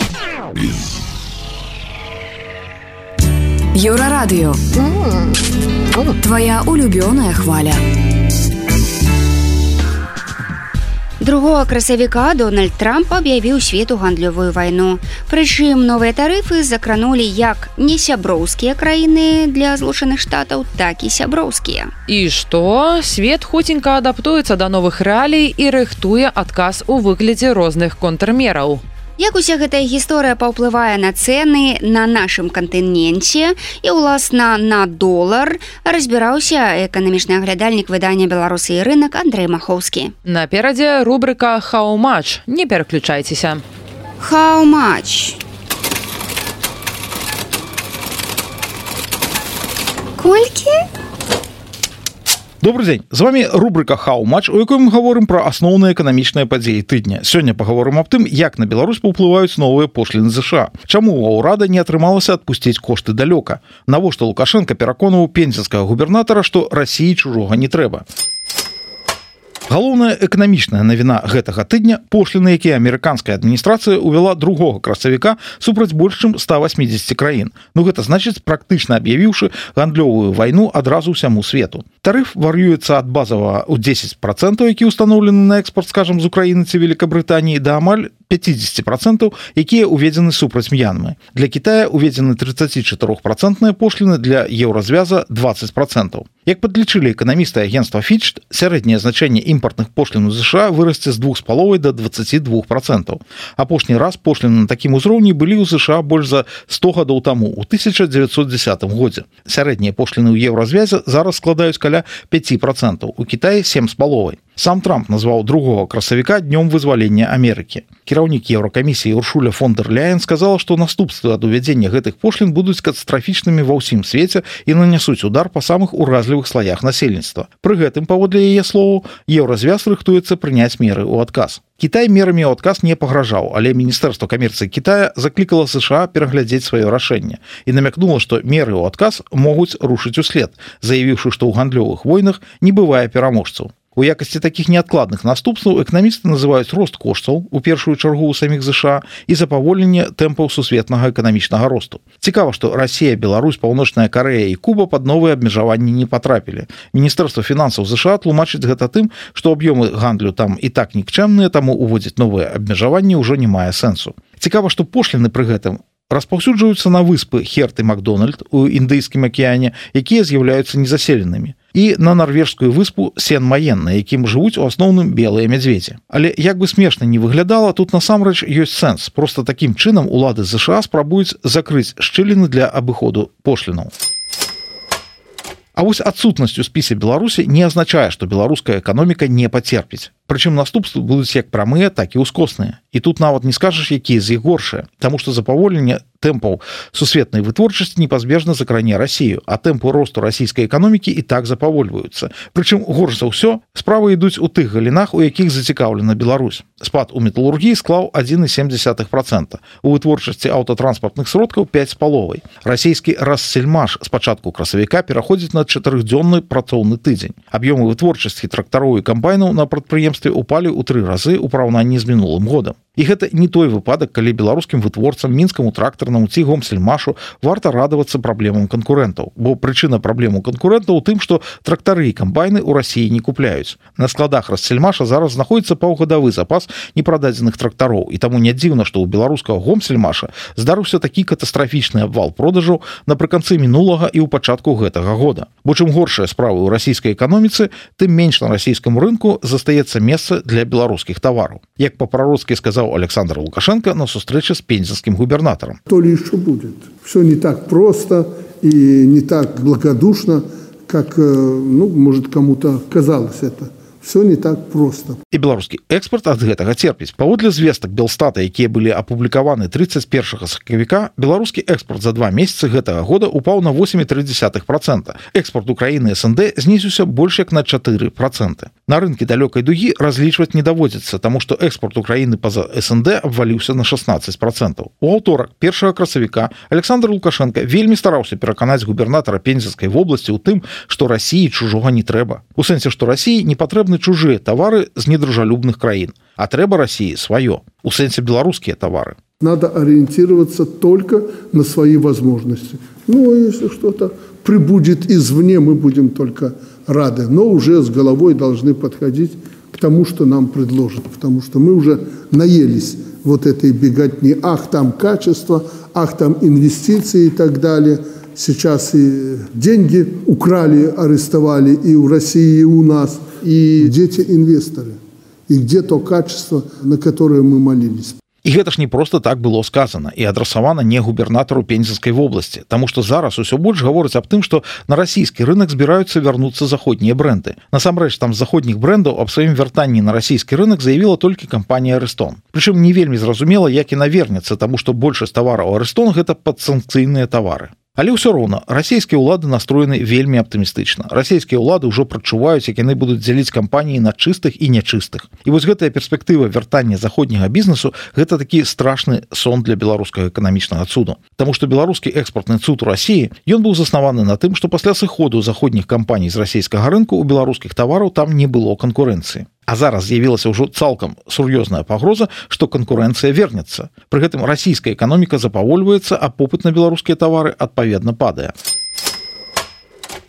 Еўрарадыё. Твоя улюбёная хваля. 2 красавіка Дональд Трамп аб'явіў свету гандлёвую вайну. Прычым новыя тарыфы закранулі як несяброўскія краіны для Злучаных Штатаў, так і сяброўскія. І што? Свет хуценька адаптуецца да новых рэалій і рыхтуе адказ у выглядзе розных контрмераў. Як уся гэтая гісторыя паўплывае на цэны на нашым кантыненце і, уласна, на долар, разбіраўся эканамічны аглядальнік выдання «Беларусы і рынак» Андрэй Махоўскі. Наперадзе рубрыка «How much?». Не пераключайцеся. How much? Колькі? Добрый дзень, з вами рубрика «How much?», у якой мы гаворым пра асноўныя эканамічныя падзеі тыдня. Сёння пагаворым аб тым, як на Беларусь паўплываюць новыя пошліны США. Чаму ў ўрада не атрымалася адпусціць кошты далёка? Навошта Лукашенко пераконваў пензенскага губернатара, што Расіі чужога не трэба? Галоўная эканамічная навіна гэтага тыдня – пошліны, якія амерыканская адміністрацыя ўвяла 2 красавіка супраць больш чым 180 краін. Ну гэта значыць, практычна аб'явіўшы гандлёвую вайну адразу ўсяму свету. Тарыф вар'юецца ад базавага ў 10%, які ўстаноўлены на экспорт, скажам, з Украіны ці Великабрытаніі, да амаль 50%, якія ўведзены супраць М'янмы. Для Китая ўведзены 34% пошліны, для еўразвяза 20%. Як падлічылі эканамісты агентства Fitch, сярэдняе значэнне імпартных пошлін у США вырасце з 2,5 до 22%. Апошні раз пошліны на такім узроўні былі ў США больш за 100 гадоў таму, у 1910 годзе. Сярэднія пошліны ў еўразвязе зараз складаюць каля 5%, у Китаі 7,5%. Сам Трамп назваў 2 красавіка днём вызвалення Амерыкі. Кіраўнік Еўракамісіі Уршуля фон дер Ляйен сказала, што наступствы ад увядзення гэтых пошлін будуць катастрафічнымі ва ўсім свеце і нанясуць удар па самых уразлівых слаях насельніцтва. Пры гэтым, паводле яе словаў, еўразвяз рыхтуецца прыняць меры ў адказ. Кітай мерамі ў адказ не пагражаў, але Міністэрства камерцыі Китая заклікала США пераглядзець сваё рашэнне і намякнула, што меры ў адказ могуць рушыць услед, заявіўшы, што ў гандлёвых войнах не бывае пераможцаў. У якасці такіх неадкладных наступстваў эканамісты называюць рост коштаў у першую чаргу ў саміх ЗША і запаволенне тэмпаў сусветнага эканамічнага росту. Цікава, што Расія, Беларусь, Паўночная Карэя і Куба пад новыя абмежаванні не патрапілі. Міністэрства фінансаў ЗША тлумачыць гэта тым, што аб'ёмы гандлю там і так нікчэмныя, таму уводзіць новыя абмежаванні ўжо не мае сэнсу. Цікава, што пошліны пры гэтым распаўсюджваюцца на выспы Херт і Макдональд у Індыйскім акіяне, якія з'яўляюцца незаселенымі, і на нарвежскую выспу Сен-Маен, на якім жывуць у асноўным белыя мядзведзі. Але як бы смешна не выглядала, тут насамрэч ёсць сэнс. Проста такім чынам улады ЗША спрабуюць закрыць шчыліны для абыходу пошлінаў. А вось адсутнасць у спісе Беларусі не азначае, што беларуская эканоміка не пацерпіць. Прычым наступствы будуць як прамыя, так і ўскосныя. І тут нават не скажаш, якія з іх горшыя, таму што запаволенне тэмпаў сусветнай вытворчасці непазбежна закране Расію, а тэмпы росту расійскай эканомікі і так запавольваюцца. Прычым горш за ўсё справы ідуць у тых галінах, у якіх зацікаўлена Беларусь. Спад у металургіі склаў 1,7%, у вытворчасці аўтатранспартных сродкаў 5,5%. Расійскі Рассельмаш з пачатку красавіка пераходзіць на 4-дзённы працоўны тыдзень. Аб'ёмы вытворчасці трактароў і камбайнаў на прадпрыемстве упалі ў 3 разы ў параўнанні з мінулым годам. І гэта не той выпадак, калі беларускім вытворцам, мінскаму трактарнаму ці Гомсельмашу варта радавацца праблемам канкурэнтаў, бо прычына праблем у канкурэнтаў у тым, што трактары і камбайны ў Расіі не купляюць. На складах Рассельмаша зараз знаходіцца паўгадавы запас непрададзеных трактароў, і таму не дзіўна, што ў беларускага Гомсельмаша здарыўся такі катастрафічны абвал продажаў напрыканцы мінулага і ў пачатку гэтага года. Бо чым горшыя справы ў расійскай эканоміцы, тым менш на расійскім рынку застаецца месца для беларускіх тавараў. Як па-прароцкі сказаў Александр Лукашенко на сустрэче с пензенским губернатором. То ли еще будет. Все не так просто и не так благодушно, как, может, кому-то казалось это. Все не так просто. І беларускі экспорт ад гэтага церпіць. Паводле звестак Белстата, якія былі апублікаваны 31 сакавіка, беларускі экспорт за 2 месяцы гэтага года упаў на 8,3%. Экспорт Украіны СНД знізіўся больш як на 4%. На рынкі далёкай дугі разлічваць не даводзіцца, таму што экспорт Украіны па-за СНД абваліўся на 16%. У аўторак 1 красавіка Александр Лукашенко вельмі стараўся пераканаць губернатара Пензенскай вобласці ў тым, што Расіі чужога не трэба. У сэнсе, што Расіі не патрэбны чужыя тавары з недружалюбных краін, а трэба Расіі сваё, у сэнсе беларускія тавары. Надо ориентироваться только на свои возможности. Если что-то прибудет извне, мы будем только рады, но уже с головой должны подходить к тому, что нам предложат, потому что мы уже наелись вот этой беготни. Ах, там качество, ах, там инвестиции и так далее. Сейчас и деньги украли, арестовали и у России, и у нас. И где те инвесторы? И где то качество, на которое мы молились? І гэта ж не просто так было сказано і адрасавана не губернатару Пензенскай вобласці, таму што зараз усё больш гаворыць аб тым, што на расійскі рынок збіраюцца вярнуцца заходнія бренды. Насамрэч, там з заходніх брэндаў аб сваім вяртанні на расійскі рынок заявіла толькі кампанія Арэстон. Прычым не вельмі зразумела, як яна вернецца, таму што большасць тавараў Арэстон гэта падсанкцыйныя тавары. Але ўсё роўна расійскія ўлады настроены вельмі аптымістычна. Расійскія ўлады ўжо прачуваюць, як яны будуць дзяліць кампаніі на чыстых і нячыстых. І вось гэтая перспектыва вяртання заходняга бізнесу гэта такі страшны сон для беларускага эканамічнага цуду. Таму што беларускі экспартны цуд у Расіі, ён быў заснаваны на тым, што пасля сыходу заходніх кампаній з расійскага рынку у беларускіх тавараў там не было канкурэнцыі. А зараз з'явілася ўжо цалкам сур'ёзная пагроза, што канкурэнцыя вернецца. Пры гэтым расійская эканоміка запавольваецца, а попыт на беларускія тавары адпаведна падае.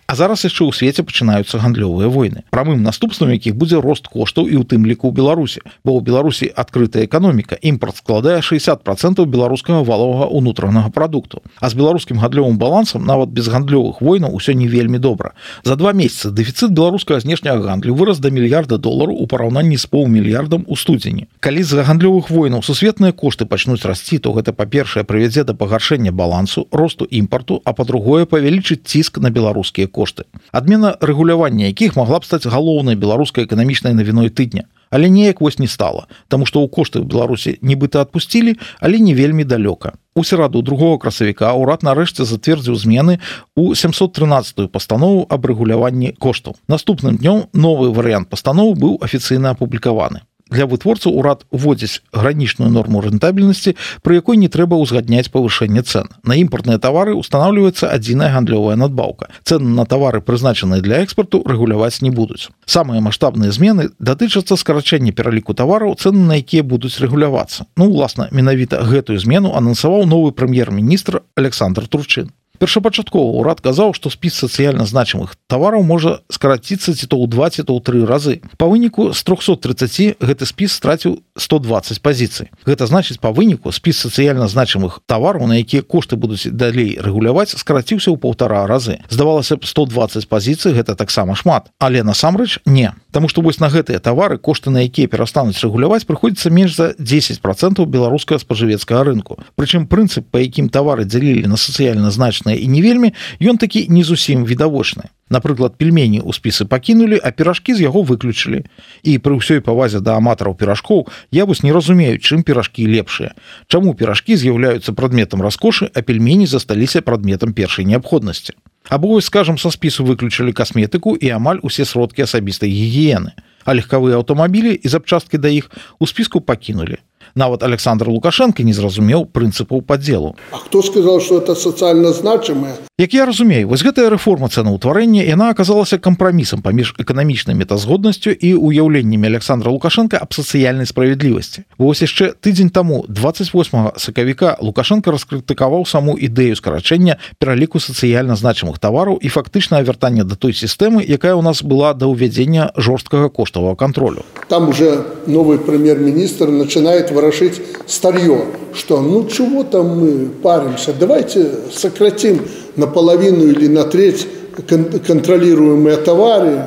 А зараз яшчэ ў свеце пачынаюцца гандлёвыя войны, прамым наступствам якіх будзе рост коштаў і ў тым ліку ў Беларусі. Бо ў Беларусі адкрытая эканоміка, імпорт складае 60% беларускага валовага ўнутранага прадукту. А з беларускім гандлёвым балансам нават без гандлёвых войнаў усё не вельмі добра. За 2 месяцы дэфіцыт беларускага знешняга гандлю вырас да $1 мільярда ў параўнанні з паўмільярдам у студзені. Калі з-за гандлёвых войнаў сусветныя кошты пачнуць расці, то гэта, па-першае, прывядзе да пагаршэння балансу, росту імпарту, а па-другое, павялічыць ціск на беларускія кошты. Адмена рэгулявання якіх магла б стаць галоўнай беларускай эканамічнай навіной тыдня. Але неяк вось не стала, таму што ў кошты ў Беларусі нібыта адпусцілі, але не вельмі далёка. У сераду 2 красавіка ўрад нарэшце зацвердзіў змены ў 713-ю пастанову аб рэгуляванні коштаў. Наступным днём новы варыянт пастановы быў афіцыйна апублікаваны. для вытворцаў урад уводзіць гранічную норму рэнтабельнасці, пры якой не трэба ўзгадняць павышэнне цэн. На імпартныя тавары устанаўліваецца адзіная гандлёвая надбаўка. Цэны на тавары, прызначаныя для экспарту, рэгуляваць не будуць. Самыя маштабныя змены датычацца скарачэння пераліку тавараў, цэны на якія будуць рэгулявацца. Уласна, менавіта гэтую змену анансаваў новы прэм'ер-міністр Александр Турчин. Першапачаткова ўрад казаў, што спіс сацыяльна значымых тавараў можа скараціцца ці то ў 2, ці то ў 3 разы. Па выніку з 330 гэты спіс страціў 120 пазіцый. Гэта значыць, па выніку спіс сацыяльна значымых тавараў, на якія кошты будуць далей рэгуляваць, скараціўся ў 1,5 разы. Здавалася б, 120 пазіцый гэта таксама шмат, але насамрэч не. Таму што вось на гэтыя тавары, кошты на якія перастануць рэгуляваць, прыходзіцца менш за 10% беларускага спажывецкага рынку. Прычым прынцып, па якім тавары дзялілі на сацыяльна значныя і не вельмі, ён такі не зусім відавочны. Напрыклад, пельмені ў спісы пакінулі, а піражкі з яго выключылі. І пры ўсёй павазе да аматараў піражкоў я вось не разумею, чым піражкі лепшыя. Чаму піражкі з'яўляюцца прадметам раскошы, а пельмені засталіся прадметам першай неабходнасці. Або, скажам, са спісу выключылі касметыку і амаль усе сродкі асабістай гігіены. А легкавыя аўтамабілі і запчасткі да іх у спіску пакінулі. Нават Александр Лукашенко не зразумеў прынцыпаў падзелу. А хто сказаў, што это сацыяльна значымае? Як я разумею, вось гэтая рэформа цэнаўтварэння, яна аказалася кампрамісам паміж эканамічнай метазгоднасцю і уяўленнямі Александра Лукашенко аб сацыяльнай справядлівасці. Вось яшчэ тыдзень таму, 28 сакавіка, Лукашенко раскрытыкаваў саму ідэю скарачэння пераліку сацыяльна значымых тавараў і фактычнае вяртанне да той сістэмы, якая ў нас была да ўвядзення жорсткага коштавага кантролю. Там уже новый премьер-министр начинает ворошить старье, что ну чего там мы паримся, давайте сократим наполовину или на треть контролируемые товары,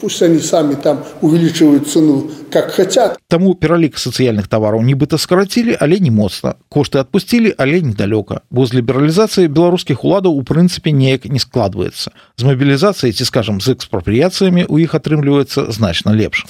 пусть они сами там увеличивают цену, как хотят. Таму пералік сацыяльных тавараў нібыта скарацілі, але не моцна. Кошты адпусцілі, але недалёка. Бо з лібералізацыі беларускіх уладаў у прынцыпе неяк не складваецца. З мабілізацыяй ці, скажам, з экспрапрыяцыямі у іх атрымліваецца значна лепш.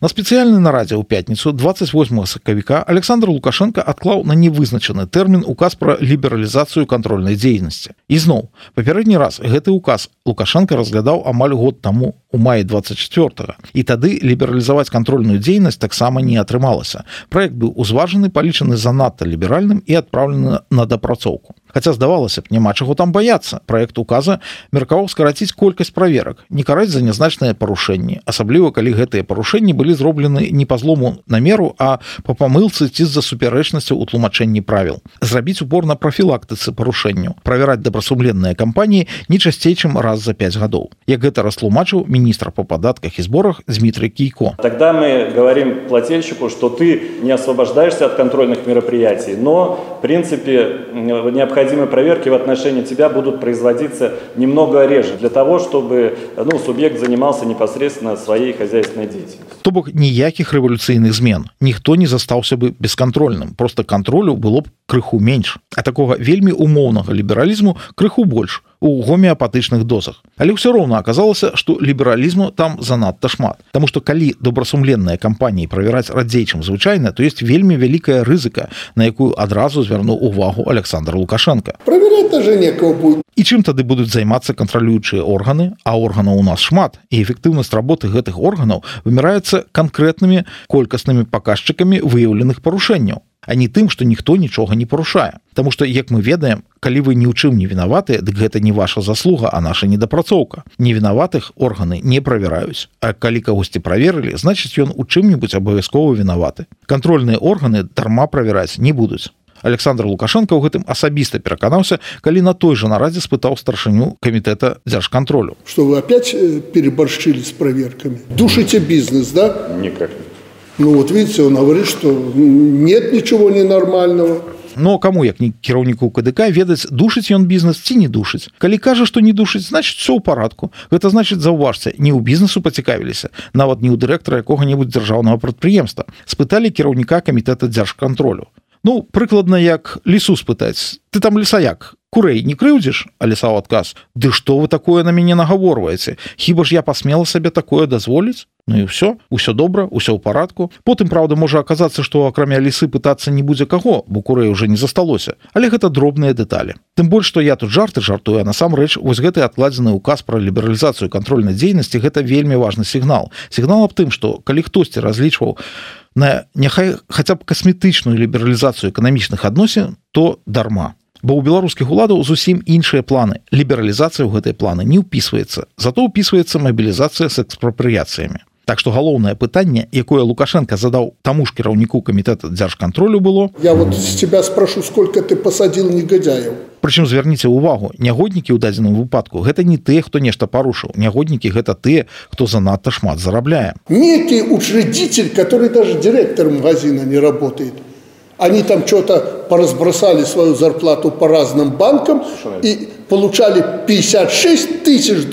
На спецыяльнай нарадзе ў пятніцу 28 сакавіка Александр Лукашенко адклаў на невызначаны тэрмін указ пра лібералізацыю кантрольнай дзейнасці. І зноў, папярэдні раз гэты указ Лукашенко разглядаў амаль год таму, у маі 24-го. І тады лібералізаваць кантрольную дзейнасць таксама не атрымалася. Праект быў узважаны, палічаны занадта ліберальным і адпраўлены на дапрацоўку. Хаця, здавалася б, няма чаго там баяцца. Праект указа меркаваў скараціць колькасць праверак, не караць за нязначныя парушэнні, асабліва калі гэтыя парушэнні былі зроблены не па злому намеру, а па памылцы ці з-за супярэчнасцяў у тлумачэнні правіл. Зрабіць упор на прафілактыцы парушэнняў, правяраць добрасумленныя кампаніі не часцей, чым раз за 5 гадоў. Як гэта растлумачыў министр по податках и сборах Дмитрий Кийко. Тогда мы говорим плательщику, что ты не освобождаешься от контрольных мероприятий, но, в принципе, необходимые проверки в отношении тебя будут производиться немного реже, для того, чтобы субъект занимался непосредственно своей хозяйственной деятельностью. То бок ніякіх рэвалюцыйных змен. Ніхто не застаўся бы бескантрольным. Просто кантролю было б крыху менш. А такога вельмі умоўнага лібералізму крыху больш у гомеапатычных дозах. Але ўсё роўна аказалася, што лібералізму там занадта шмат. Таму што калі добрасумленныя кампаніі правяраць радзей, чым звычайна, то ёсць вельмі вялікая рызыка, на якую адразу звярнуў увагу Александр Лукашенко. Правяраць даже некого будет. І чым тады будуць займацца кантралюючыя органы, а органаў у нас шмат, і эфектыўнасць работы гэтых органаў вымяраецца канкрэтнымі колькаснымі паказчыкамі выяўленых парушэнняў, а не тым, што ніхто нічога не парушае. Таму што, як мы ведаем, калі вы ні ў чым не вінаватыя, дык гэта не ваша заслуга, а наша недапрацоўка. Невінаватых органы не правяраюць. А калі кагосьці праверылі, значыць, ён у чым-небудзь абавязкова вінаваты. Кантрольныя органы дарма правяраць не будуць. Александр Лукашенко ў гэтым асабіста пераканаўся, калі на той жа нарадзе спытаў старшыню камітэта дзяржкантролю. Что вы опять переборщили с проверками? Душите бизнес, да? Никак. Ну вот видите, он говорит, что нет ничего ненормального. Но каму, як не кіраўніку КДК, ведаць, душыць ён бізнес ці не душыць. Калі кажа, што не душыць, значыць, все ў парадку. Гэта значыць, заўважце, не ў бізнесу пацікавіліся, нават не ў дырэктара якога-небудзь дзяржаўнага прадпрыемства. Спыталі кіраўніка камітэта дзяржкантролю. Ну, прыкладна як лісу спытаць. Ты там лісаяк, Курэй не крыўдзіш, Алісаў адказ: ды што вы такое на мяне нагаворваеце? Хіба ж я пасмела сабе такое дазволіць? Ну і ўсё добра, ўсё ў парадку. Потым, праўда, можа аказацца, што акрамя лісы пытацца не будзе каго, бо курэй уже не засталося. Але гэта дробныя дэталі. Тым больш, што я тут жартую, а насамрэч вось гэты адкладзены ўказ пра лібералізацыю кантрольнай дзейнасці гэта вельмі важны сігнал. Сігнал аб тым, што калі хтосьці разлічваў на няхай хаця б касметычную лібералізацыю эканамічных адносін, то дарма. Бо ў беларускіх уладаў зусім іншыя планы. Лібералізацыя ў гэтыя планы не ўпісваецца, зато ўпісваецца мабілізацыя з экспрапрыяцыямі. Так што галоўнае пытанне, якое Лукашенко задаў таму ж кіраўніку камітэта дзяржкантролю было: я вот с тебя спрошу, сколько ты посадил негодяев. Прычым звярніце ўвагу, нягоднікі ў дадзеным выпадку гэта не тыя, хто нешта парушыў. Нягоднікі гэта тыя, хто занадта шмат зарабляе. Некий учредитель, который даже директором магазина не работает. Они там что-то поразбросали свою зарплату по разным банкам и получали $56 тысяч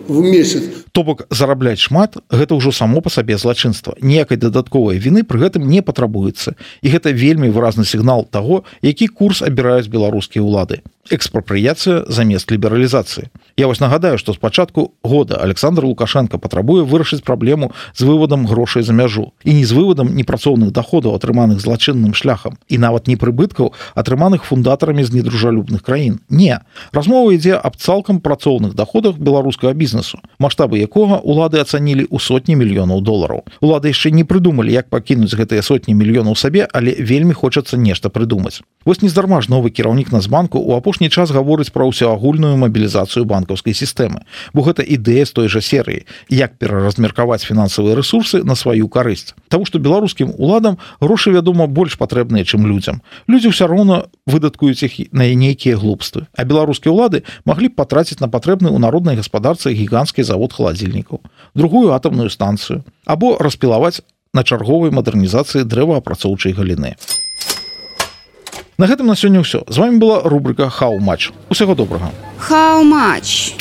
в месяц. То бок зарабляць шмат гэта ўжо само па сабе злачынства. Ніякай дадатковай віны пры гэтым не патрабуецца. І гэта вельмі выразны сігнал таго, які курс абіраюць беларускія ўлады. Экспрапрыяцыя замест лібералізацыі. Я вось нагадаю, што з пачатку года Александр Лукашенко патрабуе вырашыць праблему з выводам грошай за мяжу. І не з выводам непрацоўных даходаў, атрыманых злачынным шляхам, і нават не прыбыткаў, атрыманых фундатарамі з недружалюбных краін. Не. Размова ідзе аб цалкам працоўных даходах беларускага бізнесу, маштабы якога улады ацанілі ў сотні мільёнаў долараў. Улады яшчэ не прыдумалі, як пакінуць гэтыя сотні мільёнаў сабе, але вельмі хочацца нешта прыдумаць. Вось нездарма ж новы кіраўнік Нацбанку ў апошні час гаворыць пра ўсеагульную мабілізацыю банкаўскай сістэмы, бо гэта ідэя з той жа серыі, як пераразмеркаваць фінансавыя рэсурсы на сваю карысць. Таму што беларускім уладам грошы, вядома, больш патрэбныя, чым людзям. Людзі ўсё роўна выдаткуюць іх на нейкія глупствы, а беларускія ўлады маглі б патраціць на патрэбны ў народнай гаспадарцы гіганцкі завод халадзільнікаў, другую атамную станцыю, або распілаваць на чарговай мадэрнізацыі дрэваапрацоўчай галіны. На гэтым на сёння ўсё. З вами была рубрика «How much». Усяго добрага. How much?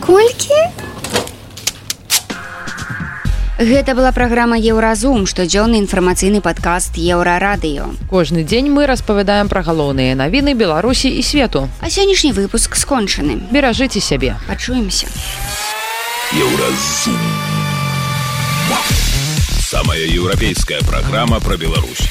Колькі? Гэта была праграма «Еўразум», штодзённы інфармацыйны падкаст «Еўрарадыё». Кожны дзень мы распавядаем пра галоўныя навіны Беларусі і свету. А сённяшні выпуск скончаны. Беражыце сябе. Пачуемся. Еўразум. Самая европейская программа про Беларусь.